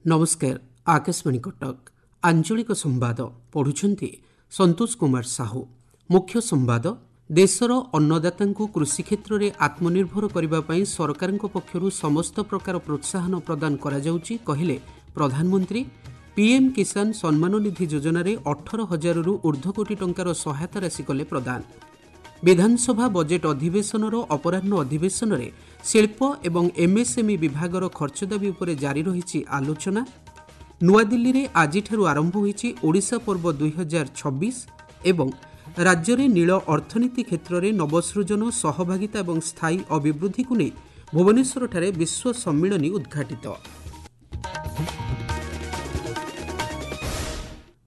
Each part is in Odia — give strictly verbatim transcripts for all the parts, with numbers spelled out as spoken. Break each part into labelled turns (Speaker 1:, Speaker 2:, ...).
Speaker 1: ନମସ୍କାର ଆକାଶବାଣୀ କଟକ ଆଞ୍ଚଳିକ ସମ୍ବାଦ ପଢୁଛନ୍ତି ସନ୍ତୋଷ କୁମାର ସାହୁ ମୁଖ୍ୟ ସମ୍ବାଦ ଦେଶର ଅନ୍ନଦାତାଙ୍କୁ କୃଷି କ୍ଷେତ୍ରରେ ଆତ୍ମନିର୍ଭର କରିବା ପାଇଁ ସରକାରଙ୍କ ପକ୍ଷରୁ ସମସ୍ତ ପ୍ରକାର ପ୍ରୋତ୍ସାହନ ପ୍ରଦାନ କରାଯାଉଛି କହିଲେ ପ୍ରଧାନମନ୍ତ୍ରୀ ପିଏମ୍ କିଷାନ ସମ୍ମାନ ନିଧି ଯୋଜନାରେ ଅଠର ହଜାରରୁ ଊର୍ଦ୍ଧ୍ୱ କୋଟି ଟଙ୍କାର ସହାୟତା ରାଶି କଲେ ପ୍ରଦାନ ବିଧାନସଭା ବଜେଟ୍ ଅଧିବେଶନର ଅପରାହ୍ନ ଅଧିବେଶନରେ ଶିଳ୍ପ ଏବଂ ଏମ୍ଏସ୍ଏମ୍ଇ ବିଭାଗର ଖର୍ଚ୍ଚ ଦାବି ଉପରେ ଜାରି ରହିଛି ଆଲୋଚନା ନୂଆଦିଲ୍ଲୀରେ ଆଜିଠାରୁ ଆରମ୍ଭ ହୋଇଛି ଓଡ଼ିଶା ପର୍ବ ଦୁଇହଜାର ଛବିଶ ଏବଂ ରାଜ୍ୟରେ ନୀଳ ଅର୍ଥନୀତି କ୍ଷେତ୍ରରେ ନବସୃଜନ ସହଭାଗିତା ଏବଂ ସ୍ଥାୟୀ ଅଭିବୃଦ୍ଧିକୁ ନେଇ ଭୁବନେଶ୍ୱରଠାରେ ବିଶ୍ୱ ସମ୍ମିଳନୀ ଉଦ୍ଘାଟିତ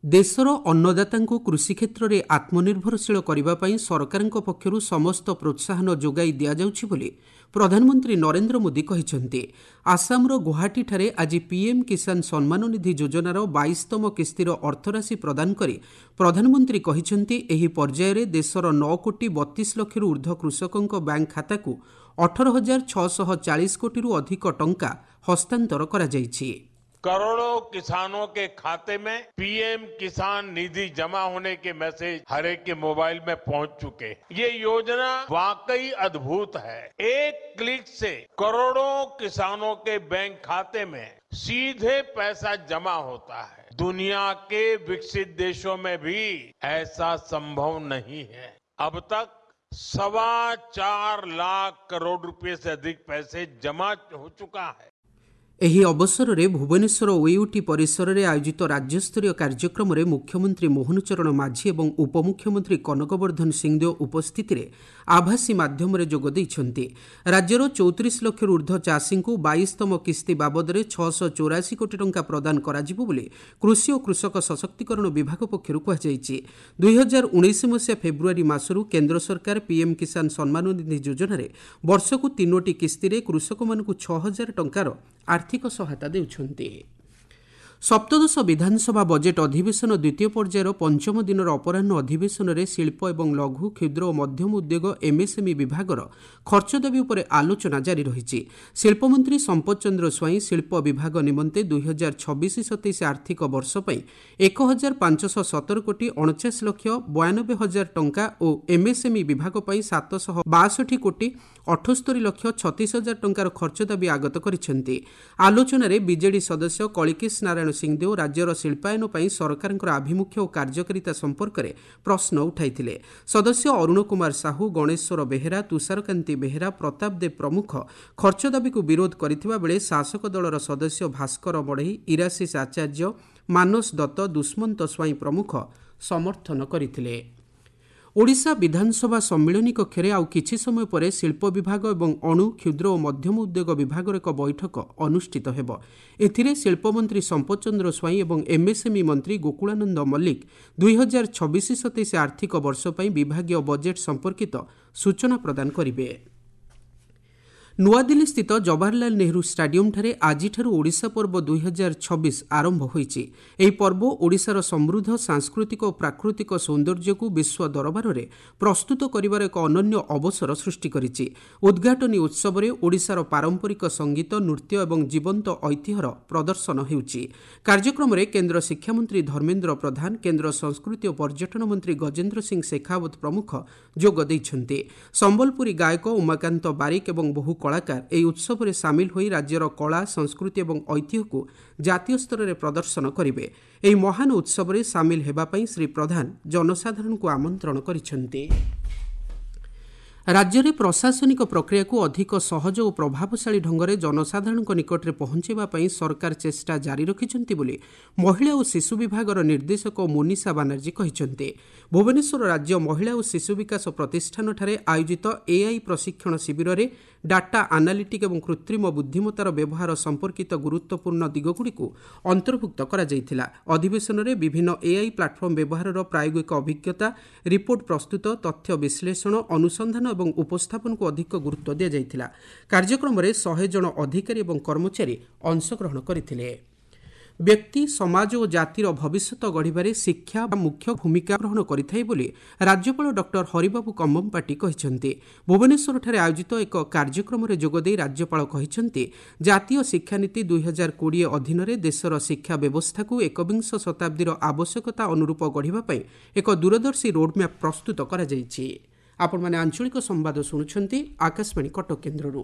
Speaker 1: ଦେଶର ଅନ୍ନଦାତାଙ୍କୁ କୃଷି କ୍ଷେତ୍ରରେ ଆତ୍ମନିର୍ଭରଶୀଳ କରିବା ପାଇଁ ସରକାରଙ୍କ ପକ୍ଷରୁ ସମସ୍ତ ପ୍ରୋତ୍ସାହନ ଯୋଗାଇ ଦିଆଯାଉଛି ବୋଲି ପ୍ରଧାନମନ୍ତ୍ରୀ ନରେନ୍ଦ୍ର ମୋଦି କହିଛନ୍ତି ଆସାମର ଗୁଆହାଟୀଠାରେ ଆଜି ପିଏମ୍ କିଷାନ ସମ୍ମାନ ନିଧି ଯୋଜନାର ବାଇଶତମ କିସ୍ତିର ଅର୍ଥରାଶି ପ୍ରଦାନ କରି ପ୍ରଧାନମନ୍ତ୍ରୀ କହିଛନ୍ତି ଏହି ପର୍ଯ୍ୟାୟରେ ଦେଶର ନଅ କୋଟି ବତିଶ ଲକ୍ଷରୁ ଊର୍ଦ୍ଧ୍ୱ କୃଷକଙ୍କ ବ୍ୟାଙ୍କ ଖାତାକୁ ଅଠର ହଜାର ଛଅଶହ ଚାଳିଶ କୋଟିରୁ ଅଧିକ ଟଙ୍କା ହସ୍ତାନ୍ତର କରାଯାଇଛି
Speaker 2: करोड़ों किसानों के खाते में पीएम किसान निधि जमा होने के मैसेज हर एक के मोबाइल में पहुंच चुके हैं। ये योजना वाकई अद्भुत है। एक क्लिक से करोड़ों किसानों के बैंक खाते में सीधे पैसा जमा होता है। दुनिया के विकसित देशों में भी ऐसा संभव नहीं है। अब तक सवा चार लाख करोड़ रुपए से अधिक पैसे जमा हो चुका है।
Speaker 1: ଏହି ଅବସରରେ ଭୁବନେଶ୍ୱର ଓୟୁଟି ପରିସରରେ ଆୟୋଜିତ ରାଜ୍ୟସ୍ତରୀୟ କାର୍ଯ୍ୟକ୍ରମରେ ମୁଖ୍ୟମନ୍ତ୍ରୀ ମୋହନ ଚରଣ ମାଝୀ ଏବଂ ଉପମୁଖ୍ୟମନ୍ତ୍ରୀ କନକବର୍ଦ୍ଧନ ସିଂଦେଓ ଉପସ୍ଥିତିରେ ଆଭାସୀ ମାଧ୍ୟମରେ ଯୋଗ ଦେଇଛନ୍ତି ରାଜ୍ୟର ଚଉତିରିଶ ଲକ୍ଷରୁ ଊର୍ଦ୍ଧ୍ୱ ଚାଷୀଙ୍କୁ ବାଇଶତମ କିସ୍ତି ବାବଦରେ ଛଅଶହ ଚଉରାଶୀ କୋଟି ଟଙ୍କା ପ୍ରଦାନ କରାଯିବ ବୋଲି କୃଷି ଓ କୃଷକ ସଶକ୍ତିକରଣ ବିଭାଗ ପକ୍ଷରୁ କୁହାଯାଇଛି ଦୁଇହଜାର ଉଣେଇଶ ମସିହା ଫେବୃଆରୀ ମାସରୁ କେନ୍ଦ୍ର ସରକାର ପିଏମ୍ କିଷାନ ସମ୍ମାନ ନିଧି ଯୋଜନାରେ ବର୍ଷକୁ ତିନୋଟି କିସ୍ତିରେ କୃଷକମାନଙ୍କୁ ଛଅ ହଜାର ଟଙ୍କାର ଆର୍ଥିକ ସହାୟତା ଦେଉଛନ୍ତି ସପ୍ତଦଶ ବିଧାନସଭା ବଜେଟ୍ ଅଧିବେଶନ ଦ୍ୱିତୀୟ ପର୍ଯ୍ୟାୟର ପଞ୍ଚମ ଦିନର ଅପରାହ୍ନ ଅଧିବେଶନରେ ଶିଳ୍ପ ଏବଂ ଲଘୁ କ୍ଷୁଦ୍ର ଓ ମଧ୍ୟମ ଉଦ୍ୟୋଗ ଏମ୍ଏସ୍ଏମ୍ଇ ବିଭାଗର ଖର୍ଚ୍ଚ ଦାବି ଉପରେ ଆଲୋଚନା ଜାରି ରହିଛି ଶିଳ୍ପମନ୍ତ୍ରୀ ସମ୍ପଦ ଚନ୍ଦ୍ର ସ୍ୱାଇଁ ଶିଳ୍ପ ବିଭାଗ ନିମନ୍ତେ ଦୁଇହଜାର ଛବିଶ ସତେଇଶ ଆର୍ଥିକ ବର୍ଷ ପାଇଁ ଏକ ହଜାର ପାଞ୍ଚଶହ ସତର କୋଟି ଅଣଚାଶ ଲକ୍ଷ ବୟାନବେ ହଜାର ଟଙ୍କା ଓ ଏମ୍ଏସ୍ଏମ୍ଇ ବିଭାଗ ପାଇଁ ସାତଶହ ବାଷଠି କୋଟି ଅଠସ୍ତରୀ ଲକ୍ଷ ଛତିଶ ହଜାର ଟଙ୍କାର ଖର୍ଚ୍ଚ ଦାବି ଆଗତ କରିଛନ୍ତି ଆଲୋଚନାରେ ବିଜେଡି ସଦସ୍ୟ କଳିକେଶ ନାରାୟଣ ସିଂଦେଓ ରାଜ୍ୟର ଶିଳ୍ପାୟନ ପାଇଁ ସରକାରଙ୍କର ଆଭିମୁଖ୍ୟ ଓ କାର୍ଯ୍ୟକାରିତା ସମ୍ପର୍କରେ ପ୍ରଶ୍ନ ଉଠାଇଥିଲେ ସଦସ୍ୟ ଅରୁଣ କୁମାର ସାହୁ ଗଣେଶ୍ୱର ବେହେରା ତୁଷାରକାନ୍ତି ବେହେରା ପ୍ରତାପ ଦେବ ପ୍ରମୁଖ ଖର୍ଚ୍ଚ ଦାବିକୁ ବିରୋଧ କରିଥିବା ବେଳେ ଶାସକ ଦଳର ସଦସ୍ୟ ଭାସ୍କର ବଢ଼େଇ ଇରାଶିଷ ଆଚାର୍ଯ୍ୟ ମାନସ ଦତ୍ତ ଦୁଷ୍ମନ୍ତ ସ୍ୱାଇଁ ପ୍ରମୁଖ ସମର୍ଥନ କରିଥିଲେ ଓଡ଼ିଶା ବିଧାନସଭା ସମ୍ମିଳନୀ କକ୍ଷରେ ଆଉ କିଛି ସମୟ ପରେ ଶିଳ୍ପ ବିଭାଗ ଏବଂ ଅଣୁ କ୍ଷୁଦ୍ର ଓ ମଧ୍ୟମ ଉଦ୍ୟୋଗ ବିଭାଗର ଏକ ବୈଠକ ଅନୁଷ୍ଠିତ ହେବ ଏଥିରେ ଶିଳ୍ପମନ୍ତ୍ରୀ ସମ୍ପଦ ଚନ୍ଦ୍ର ସ୍ୱାଇଁ ଏବଂ ଏମ୍ଏସ୍ଏମ୍ଇ ମନ୍ତ୍ରୀ ଗୋକୁଳାନନ୍ଦ ମଲ୍ଲିକ ଦୁଇହଜାର ଛବିଶ ସତେଇଶ ଆର୍ଥିକ ବର୍ଷ ପାଇଁ ବିଭାଗୀୟ ବଜେଟ୍ ସମ୍ପର୍କିତ ସୂଚନା ପ୍ରଦାନ କରିବେ ନୂଆଦିଲ୍ଲୀସ୍ଥିତ ଜବାହରଲାଲ ନେହେରୁ ଷ୍ଟାଡିୟମ୍ଠାରେ ଆଜିଠାରୁ ଓଡ଼ିଶା ପର୍ବ ଦୁଇହଜାର ଛବିଶ ଆରମ୍ଭ ହୋଇଛି ଏହି ପର୍ବ ଓଡ଼ିଶାର ସମୃଦ୍ଧ ସାଂସ୍କୃତିକ ଓ ପ୍ରାକୃତିକ ସୌନ୍ଦର୍ଯ୍ୟକୁ ବିଶ୍ୱ ଦରବାରରେ ପ୍ରସ୍ତୁତ କରିବାର ଏକ ଅନନ୍ୟ ଅବସର ସୃଷ୍ଟି କରିଛି ଉଦ୍ଘାଟନୀ ଉତ୍ସବରେ ଓଡ଼ିଶାର ପାରମ୍ପରିକ ସଙ୍ଗୀତ ନୃତ୍ୟ ଏବଂ ଜୀବନ୍ତ ଐତିହ୍ୟର ପ୍ରଦର୍ଶନ ହେଉଛି କାର୍ଯ୍ୟକ୍ରମରେ କେନ୍ଦ୍ର ଶିକ୍ଷାମନ୍ତ୍ରୀ ଧର୍ମେନ୍ଦ୍ର ପ୍ରଧାନ କେନ୍ଦ୍ର ସଂସ୍କୃତି ଓ ପର୍ଯ୍ୟଟନ ମନ୍ତ୍ରୀ ଗଜେନ୍ଦ୍ର ସିଂ ଶେଖାଓ୍ୱତ ପ୍ରମୁଖ ଯୋଗ ଦେଇଛନ୍ତି ସମ୍ବଲପୁରୀ ଗାୟକ ଉମାକାନ୍ତ ବାରିକ ଏବଂ ବହୁ କଳାକାର ଏହି ଉତ୍ସବରେ ସାମିଲ ହୋଇ ରାଜ୍ୟର କଳା ସଂସ୍କୃତି ଏବଂ ଐତିହ୍ୟକୁ ଜାତୀୟ ସ୍ତରରେ ପ୍ରଦର୍ଶନ କରିବେ ଏହି ମହାନ ଉତ୍ସବରେ ସାମିଲ ହେବା ପାଇଁ ଶ୍ରୀ ପ୍ରଧାନ ଜନସାଧାରଣଙ୍କୁ ଆମନ୍ତ୍ରଣ କରିଛନ୍ତି ରାଜ୍ୟରେ ପ୍ରଶାସନିକ ପ୍ରକ୍ରିୟାକୁ ଅଧିକ ସହଜ ଓ ପ୍ରଭାବଶାଳୀ ଢଙ୍ଗରେ ଜନସାଧାରଣଙ୍କ ନିକଟରେ ପହଞ୍ଚାଇବା ପାଇଁ ସରକାର ଚେଷ୍ଟା ଜାରି ରଖିଛନ୍ତି ବୋଲି ମହିଳା ଓ ଶିଶୁ ବିଭାଗର ନିର୍ଦ୍ଦେଶକ ମୋନିଷା ବାନାର୍ଜୀ କହିଛନ୍ତି ଭୁବନେଶ୍ୱର ରାଜ୍ୟ ମହିଳା ଓ ଶିଶୁ ବିକାଶ ପ୍ରତିଷ୍ଠାନଠାରେ ଆୟୋଜିତ ଏଆଇ ପ୍ରଶିକ୍ଷଣ ଶିବିରରେ ଡାଟା ଆନାଲିଟିକ୍ ଏବଂ କୃତ୍ରିମ ବୁଦ୍ଧିମତ୍ତାର ବ୍ୟବହାର ସମ୍ପର୍କିତ ଗୁରୁତ୍ୱପୂର୍ଣ୍ଣ ଦିଗଗୁଡ଼ିକୁ ଅନ୍ତର୍ଭୁକ୍ତ କରାଯାଇଥିଲା ଅଧିବେଶନରେ ବିଭିନ୍ନ ଏଆଇ ପ୍ଲାଟଫର୍ମ ବ୍ୟବହାରର ପ୍ରାୟୋଗିକ ଅଭିଜ୍ଞତା ରିପୋର୍ଟ ପ୍ରସ୍ତୁତ ତଥ୍ୟ ବିଶ୍ଳେଷଣ ଅନୁସନ୍ଧାନ ଏବଂ ଉପସ୍ଥାପନକୁ ଅଧିକ ଗୁରୁତ୍ୱ ଦିଆଯାଇଥିଲା କାର୍ଯ୍ୟକ୍ରମରେ ଶହେ ଜଣ ଅଧିକାରୀ ଏବଂ କର୍ମଚାରୀ ଅଂଶଗ୍ରହଣ କରିଥିଲେ ବ୍ୟକ୍ତି, ସମାଜ ଓ ଜାତିର ଭବିଷ୍ୟତ ଗଢ଼ିବାରେ ଶିକ୍ଷା ମୁଖ୍ୟ ଭୂମିକା ଗ୍ରହଣ କରିଥାଏ ବୋଲି ରାଜ୍ୟପାଳ ଡକ୍ଟର ହରିବାବୁ କମ୍ଭମପାଟି କହିଛନ୍ତି। ଭୁବନେଶ୍ୱରଠାରେ ଆୟୋଜିତ ଏକ କାର୍ଯ୍ୟକ୍ରମରେ ଯୋଗଦେଇ ରାଜ୍ୟପାଳ କହିଛନ୍ତି, ଜାତୀୟ ଶିକ୍ଷାନୀତି ଦୁଇହଜାର କୋଡ଼ିଏ ଅଧୀନରେ ଦେଶର ଶିକ୍ଷା ବ୍ୟବସ୍ଥାକୁ ଏକବିଂଶ ଶତାବ୍ଦୀର ଆବଶ୍ୟକତା ଅନୁରୂପ ଗଢ଼ିବା ପାଇଁ ଏକ ଦୂରଦର୍ଶୀ ରୋଡ୍ମ୍ୟାପ୍ ପ୍ରସ୍ତୁତ କରାଯାଇଛି। ଆପଣମାନେ ଆଞ୍ଚଳିକ ସମ୍ବାଦ ଶୁଣୁଛନ୍ତି ଆକାଶବାଣୀ କଟକ କେନ୍ଦ୍ରରୁ।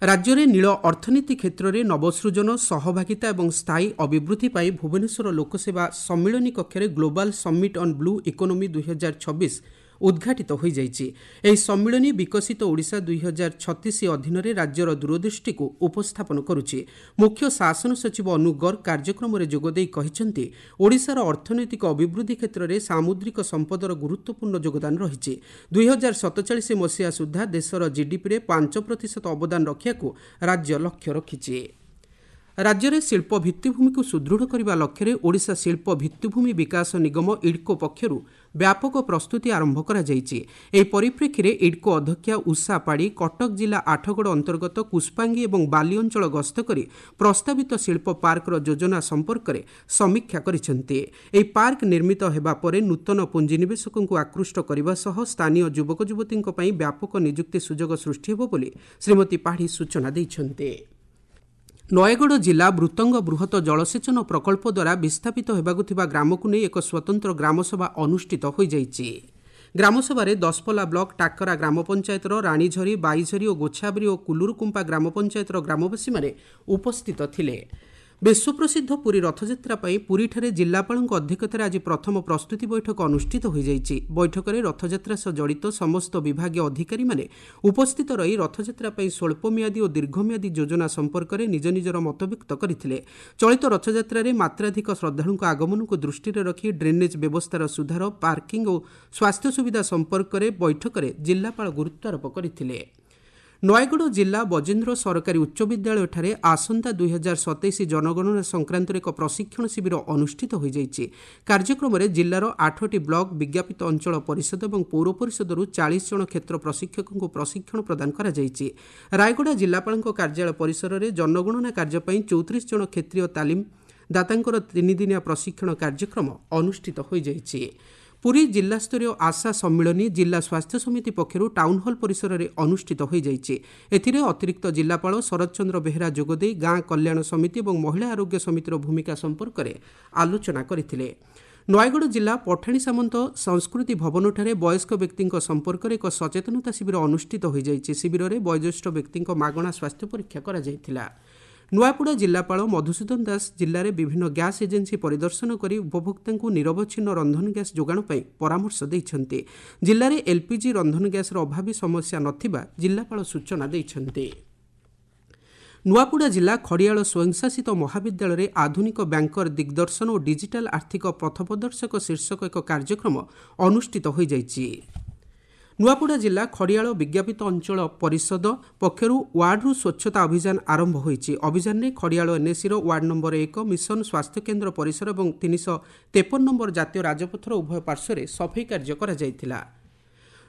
Speaker 1: ରାଜ୍ୟରେ ନୀଳ ଅର୍ଥନୀତି କ୍ଷେତ୍ରରେ ନବସୃଜନ, ସହଭାଗିତା ଏବଂ ସ୍ଥାୟୀ ଅଭିବୃଦ୍ଧି ପାଇଁ ଭୁବନେଶ୍ୱର ଲୋକସେବା ସମ୍ମିଳନୀ କକ୍ଷରେ global summit on blue economy ଦୁଇହଜାର ଛବିଶ ଉଦ୍ଘାଟିତ ହୋଇଯାଇଛି। ଏହି ସମ୍ମିଳନୀ ବିକଶିତ ଓଡ଼ିଶା ଦୁଇହଜାର ଛତିଶ ଅଧୀନରେ ରାଜ୍ୟର ଦୂରଦୃଷ୍ଟିକୁ ଉପସ୍ଥାପନ କରୁଛି। ମୁଖ୍ୟ ଶାସନ ସଚିବ ଅନୁ ଗର୍ଗ କାର୍ଯ୍ୟକ୍ରମରେ ଯୋଗଦେଇ କହିଛନ୍ତି, ଓଡ଼ିଶାର ଅର୍ଥନୈତିକ ଅଭିବୃଦ୍ଧି କ୍ଷେତ୍ରରେ ସାମୁଦ୍ରିକ ସମ୍ପଦର ଗୁରୁତ୍ୱପୂର୍ଣ୍ଣ ଯୋଗଦାନ ରହିଛି। ଦୁଇହଜାର ସତଚାଳିଶ ମସିହା ସୁଦ୍ଧା ଦେଶର ଜିଡିପିରେ ପାଞ୍ଚ ପ୍ରତିଶତ ଅବଦାନ ରଖିବାକୁ ରାଜ୍ୟ ଲକ୍ଷ୍ୟ ରଖିଛି। ରାଜ୍ୟରେ ଶିଳ୍ପ ଭିତ୍ତିଭୂମିକୁ ସୁଦୃଢ଼ କରିବା ଲକ୍ଷ୍ୟରେ ଓଡ଼ିଶା ଶିଳ୍ପ ଭିତ୍ତିଭୂମି ବିକାଶ ନିଗମ ଇଡ୍କୋ ପକ୍ଷରୁ ବ୍ୟାପକ ପ୍ରସ୍ତୁତି ଆରମ୍ଭ କରାଯାଇଛି। ଏହି ପରିପ୍ରେକ୍ଷୀରେ ଇଡ୍କୋ ଅଧ୍ୟକ୍ଷା ଉଷା ପାଢ଼ୀ କଟକ ଜିଲ୍ଲା ଆଠଗଡ଼ ଅନ୍ତର୍ଗତ କୁଷ୍ପାଙ୍ଗି ଏବଂ ବାଲି ଅଞ୍ଚଳ ଗସ୍ତ କରି ପ୍ରସ୍ତାବିତ ଶିଳ୍ପ ପାର୍କର ଯୋଜନା ସମ୍ପର୍କରେ ସମୀକ୍ଷା କରିଛନ୍ତି। ଏହି ପାର୍କ ନିର୍ମିତ ହେବା ପରେ ନୂତନ ପୁଞ୍ଜିନିବେଶକଙ୍କୁ ଆକୃଷ୍ଟ କରିବା ସହ ସ୍ଥାନୀୟ ଯୁବକ ଯୁବତୀଙ୍କ ପାଇଁ ବ୍ୟାପକ ନିଯୁକ୍ତି ସୁଯୋଗ ସୃଷ୍ଟି ହେବ ବୋଲି ଶ୍ରୀମତୀ ପାଢ଼ୀ ସୂଚନା ଦେଇଛନ୍ତି। ନୟାଗଡ଼ ଜିଲ୍ଲା ବୃତ୍ତଙ୍ଗ ବୃହତ ଜଳସେଚନ ପ୍ରକଳ୍ପ ଦ୍ୱାରା ବିସ୍ଥାପିତ ହେବାକୁ ଥିବା ଗ୍ରାମକୁ ନେଇ ଏକ ସ୍ୱତନ୍ତ୍ର ଗ୍ରାମସଭା ଅନୁଷ୍ଠିତ ହୋଇଯାଇଛି। ଗ୍ରାମସଭାରେ ଦଶପଲ୍ଲା ବ୍ଲକ ଟାକରା ଗ୍ରାମ ପଞ୍ଚାୟତର ରାଣୀଝରି, ବାଇଝରି ଓ ଗୋଛାବରୀ ଓ କୁଲୁରୁକୁମ୍ପା ଗ୍ରାମ ପଞ୍ଚାୟତର ଗ୍ରାମବାସୀମାନେ ଉପସ୍ଥିତ ଥିଲେ। ବିଶ୍ୱପ୍ରସିଦ୍ଧ ପୁରୀ ରଥଯାତ୍ରା ପାଇଁ ପୁରୀଠାରେ ଜିଲ୍ଲାପାଳଙ୍କ ଅଧ୍ୟକ୍ଷତାରେ ଆଜି ପ୍ରଥମ ପ୍ରସ୍ତୁତି ବୈଠକ ଅନୁଷ୍ଠିତ ହୋଇଯାଇଛି। ବୈଠକରେ ରଥଯାତ୍ରା ସହ ଜଡ଼ିତ ସମସ୍ତ ବିଭାଗୀୟ ଅଧିକାରୀମାନେ ଉପସ୍ଥିତ ରହି ରଥଯାତ୍ରା ପାଇଁ ସ୍ୱଳ୍ପମିଆଦୀ ଓ ଦୀର୍ଘମିଆଦୀ ଯୋଜନା ସମ୍ପର୍କରେ ନିଜ ନିଜର ମତବ୍ୟକ୍ତ କରିଥିଲେ। ଚଳିତ ରଥଯାତ୍ରାରେ ମାତ୍ରାଧିକ ଶ୍ରଦ୍ଧାଳୁଙ୍କ ଆଗମନକୁ ଦୃଷ୍ଟିରେ ରଖି ଡ୍ରେନେଜ୍ ବ୍ୟବସ୍ଥାର ସୁଧାର, ପାର୍କିଂ ଓ ସ୍ୱାସ୍ଥ୍ୟ ସୁବିଧା ସମ୍ପର୍କରେ ବୈଠକରେ ଜିଲ୍ଲାପାଳ ଗୁରୁତ୍ୱାରୋପ କରିଥିଲେ। ନୟାଗଡ଼ ଜିଲ୍ଲା ବଜେନ୍ଦ୍ର ସରକାରୀ ଉଚ୍ଚ ବିଦ୍ୟାଳୟଠାରେ ଆସନ୍ତା ଦୁଇହଜାର ସତେଇଶ ଜନଗଣନା ସଂକ୍ରାନ୍ତରେ ଏକ ପ୍ରଶିକ୍ଷଣ ଶିବିର ଅନୁଷ୍ଠିତ ହୋଇଯାଇଛି। କାର୍ଯ୍ୟକ୍ରମରେ ଜିଲ୍ଲାର ଆଠଟି ବ୍ଲକ, ବିଜ୍ଞାପିତ ଅଞ୍ଚଳ ପରିଷଦ ଏବଂ ପୌର ପରିଷଦରୁ ଚାଳିଶ ଜଣ କ୍ଷେତ୍ର ପ୍ରଶିକ୍ଷକଙ୍କୁ ପ୍ରଶିକ୍ଷଣ ପ୍ରଦାନ କରାଯାଇଛି। ରାୟଗଡ଼ା ଜିଲ୍ଲାପାଳଙ୍କ କାର୍ଯ୍ୟାଳୟ ପରିସରରେ ଜନଗଣନା କାର୍ଯ୍ୟ ପାଇଁ ଚଉତିରିଶ ଜଣ କ୍ଷେତ୍ରୀୟ ତାଲିମ ଦାତାଙ୍କର ତିନିଦିନିଆ ପ୍ରଶିକ୍ଷଣ କାର୍ଯ୍ୟକ୍ରମ ଅନୁଷ୍ଠିତ ହୋଇଯାଇଛି। ପୁରୀ ଜିଲ୍ଲାସ୍ତରୀୟ ଆଶା ସମ୍ମିଳନୀ ଜିଲ୍ଲା ସ୍ୱାସ୍ଥ୍ୟ ସମିତି ପକ୍ଷରୁ ଟାଉନହଲ୍ ପରିସରରେ ଅନୁଷ୍ଠିତ ହୋଇଯାଇଛି। ଏଥିରେ ଅତିରିକ୍ତ ଜିଲ୍ଲାପାଳ ଶରତ ଚନ୍ଦ୍ର ବେହେରା ଯୋଗଦେଇ ଗାଁ କଲ୍ୟାଣ ସମିତି ଏବଂ ମହିଳା ଆରୋଗ୍ୟ ସମିତିର ଭୂମିକା ସମ୍ପର୍କରେ ଆଲୋଚନା କରିଥିଲେ। ନୟାଗଡ଼ ଜିଲ୍ଲା ପଠାଣି ସାମନ୍ତ ସଂସ୍କୃତି ଭବନଠାରେ ବୟସ୍କ ବ୍ୟକ୍ତିଙ୍କ ସମ୍ପର୍କରେ ଏକ ସଚେତନତା ଶିବିର ଅନୁଷ୍ଠିତ ହୋଇଯାଇଛି। ଶିବିରରେ ବୟୋଜ୍ୟେଷ୍ଠ ବ୍ୟକ୍ତିଙ୍କ ମାଗଣା ସ୍ୱାସ୍ଥ୍ୟ ପରୀକ୍ଷା କରାଯାଇଥିଲା। ନୂଆପଡ଼ା ଜିଲ୍ଲାପାଳ ମଧୁସୂଦନ ଦାସ ଜିଲ୍ଲାରେ ବିଭିନ୍ନ ଗ୍ୟାସ୍ ଏଜେନ୍ସି ପରିଦର୍ଶନ କରି ଉପଭୋକ୍ତାଙ୍କୁ ନିରବଚ୍ଛିନ୍ନ ରନ୍ଧନ ଗ୍ୟାସ୍ ଯୋଗାଣ ପାଇଁ ପରାମର୍ଶ ଦେଇଛନ୍ତି। ଜିଲ୍ଲାରେ ଏଲ୍ପିଜି ରନ୍ଧନ ଗ୍ୟାସ୍ର ଅଭାବୀ ସମସ୍ୟା ନଥିବା ଜିଲ୍ଲାପାଳ ସୂଚନା ଦେଇଛନ୍ତି। ନୂଆପଡ଼ା ଜିଲ୍ଲା ଖଡ଼ିଆଳ ସ୍ୱୟଂଶାସିତ ମହାବିଦ୍ୟାଳୟରେ ଆଧୁନିକ ବ୍ୟାଙ୍କର ଦିଗ୍ଦର୍ଶନ ଓ ଡିଜିଟାଲ ଆର୍ଥିକ ପଥପ୍ରଦର୍ଶକ ଶୀର୍ଷକ ଏକ କାର୍ଯ୍ୟକ୍ରମ ଅନୁଷ୍ଠିତ ହୋଇଯାଇଛି। ନୂଆପଡ଼ା ଜିଲ୍ଲା ଖଡ଼ିଆଳ ବିଜ୍ଞାପିତ ଅଞ୍ଚଳ ପରିଷଦ ପକ୍ଷରୁ ୱାର୍ଡରୁ ସ୍ୱଚ୍ଛତା ଅଭିଯାନ ଆରମ୍ଭ ହୋଇଛି। ଅଭିଯାନରେ ଖଡ଼ିଆଳ ଏନ୍ଏସିର ୱାର୍ଡ ନମ୍ବର ଏକ, ମିଶନ ସ୍ୱାସ୍ଥ୍ୟକେନ୍ଦ୍ର ପରିସର ଏବଂ ତିନିଶହ ତେପନ ନମ୍ବର ଜାତୀୟ ରାଜପଥର ଉଭୟ ପାର୍ଶ୍ୱରେ ସଫେଇ କାର୍ଯ୍ୟ କରାଯାଇଥିଲା।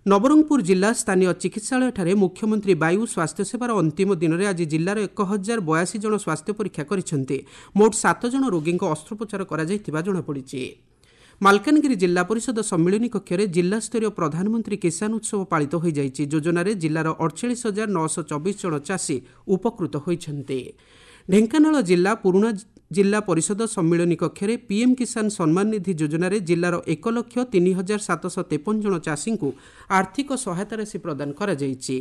Speaker 1: ନବରଙ୍ଗପୁର ଜିଲ୍ଲା ସ୍ଥାନୀୟ ଚିକିତ୍ସାଳୟଠାରେ ମୁଖ୍ୟମନ୍ତ୍ରୀ ବାୟୁ ସ୍ୱାସ୍ଥ୍ୟସେବାର ଅନ୍ତିମ ଦିନରେ ଆଜି ଜିଲ୍ଲାର ଏକ ହଜାର ବୟାଅଶୀ ଜଣ ସ୍ୱାସ୍ଥ୍ୟ ପରୀକ୍ଷା କରିଛନ୍ତି। ମୋଟ ସାତ ଜଣ ରୋଗୀଙ୍କ ଅସ୍ତ୍ରୋପଚାର କରାଯାଇଥିବା ଜଣାପଡ଼ିଛି। ମାଲକାନଗିରି ଜିଲ୍ଲା ପରିଷଦ ସମ୍ମିଳନୀ କକ୍ଷରେ ଜିଲ୍ଲାସ୍ତରୀୟ ପ୍ରଧାନମନ୍ତ୍ରୀ କିଷାନ ଉତ୍ସବ ପାଳିତ ହୋଇଯାଇଛି। ଯୋଜନାରେ ଜିଲ୍ଲାର ଅଡ଼ଚାଳିଶ ହଜାର ନଅଶହ ଚବିଶ ଜଣ ଚାଷୀ ଉପକୃତ ହୋଇଛନ୍ତି। ଢେଙ୍କାନାଳ ଜିଲ୍ଲା ପୁରୁଣା ଜିଲ୍ଲା ପରିଷଦ ସମ୍ମିଳନୀ କକ୍ଷରେ ପିଏମ୍ କିଷାନ ସମ୍ମାନ ନିଧି ଯୋଜନାରେ ଜିଲ୍ଲାର ଏକ ଲକ୍ଷ ତିନି ହଜାର ସାତଶହ ତେପନ ଜଣ ଚାଷୀଙ୍କୁ ଆର୍ଥିକ ସହାୟତା ରାଶି ପ୍ରଦାନ କରାଯାଇଛି।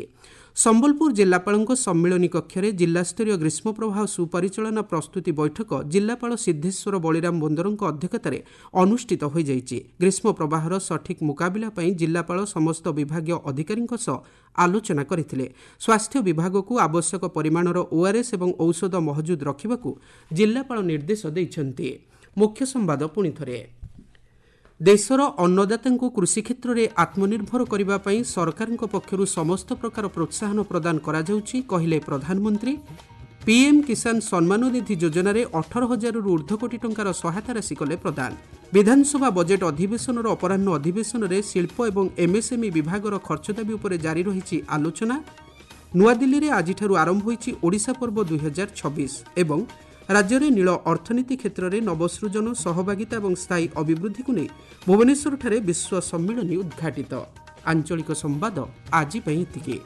Speaker 1: ସମ୍ବଲପୁର ଜିଲ୍ଲାପାଳଙ୍କ ସମ୍ମିଳନୀ କକ୍ଷରେ ଜିଲ୍ଲାସ୍ତରୀୟ ଗ୍ରୀଷ୍ମ ପ୍ରବାହ ସୁପରିଚାଳନା ପ୍ରସ୍ତୁତି ବୈଠକ ଜିଲ୍ଲାପାଳ ସିଦ୍ଧେଶ୍ୱର ବଳିରାମ ବୋନ୍ଦରଙ୍କ ଅଧ୍ୟକ୍ଷତାରେ ଅନୁଷ୍ଠିତ ହୋଇଯାଇଛି। ଗ୍ରୀଷ୍ମ ପ୍ରବାହର ସଠିକ୍ ମୁକାବିଲା ପାଇଁ ଜିଲ୍ଲାପାଳ ସମସ୍ତ ବିଭାଗୀୟ ଅଧିକାରୀଙ୍କ ସହ ଆଲୋଚନା କରିଥିଲେ। ସ୍ୱାସ୍ଥ୍ୟ ବିଭାଗକୁ ଆବଶ୍ୟକ ପରିମାଣର ଓଆର୍ଏସ୍ ଏବଂ ଔଷଧ ମହଜୁଦ ରଖିବାକୁ ଜିଲ୍ଲାପାଳ ନିର୍ଦ୍ଦେଶ ଦେଇଛନ୍ତି। ମୁଖ୍ୟ ସମ୍ବାଦ ପୁଣିଥରେ। ଦେଶର ଅନ୍ନଦାତାଙ୍କୁ କୃଷି କ୍ଷେତ୍ରରେ ଆତ୍ମନିର୍ଭର କରିବା ପାଇଁ ସରକାରଙ୍କ ପକ୍ଷରୁ ସମସ୍ତ ପ୍ରକାର ପ୍ରୋତ୍ସାହନ ପ୍ରଦାନ କରାଯାଉଛି, କହିଲେ ପ୍ରଧାନମନ୍ତ୍ରୀ। ପିଏମ୍ କିଷାନ ସମ୍ମାନ ନିଧି ଯୋଜନାରେ ଅଠର ହଜାରରୁ ଉର୍ଦ୍ଧ୍ୱ କୋଟି ଟଙ୍କାର ସହାୟତା ରାଶି କଲେ ପ୍ରଦାନ। ବିଧାନସଭା ବଜେଟ୍ ଅଧିବେଶନର ଅପରାହ୍ନ ଅଧିବେଶନରେ ଶିଳ୍ପ ଏବଂ ଏମ୍ଏସ୍ଏମ୍ଇ ବିଭାଗର ଖର୍ଚ୍ଚ ଦାବି ଉପରେ ଜାରି ରହିଛି ଆଲୋଚନା। ନୂଆଦିଲ୍ଲୀରେ ଆଜିଠାରୁ ଆରମ୍ଭ ହୋଇଛି ଓଡ଼ିଶା ପର୍ବ ଦୁଇହଜାର ଛବିଶ। ଏବଂ ରାଜ୍ୟରେ ନୀଳ ଅର୍ଥନୀତି କ୍ଷେତ୍ରରେ ନବସୃଜନ, ସହଭାଗିତା ଏବଂ ସ୍ଥାୟୀ ଅଭିବୃଦ୍ଧିକୁ ନେଇ ଭୁବନେଶ୍ୱରଠାରେ ବିଶ୍ୱ ସମ୍ମିଳନୀ ଉଦ୍ଘାଟିତ। ଆଞ୍ଚଳିକ ସମ୍ବାଦ ଆଜି ପାଇଁ ଏତିକି।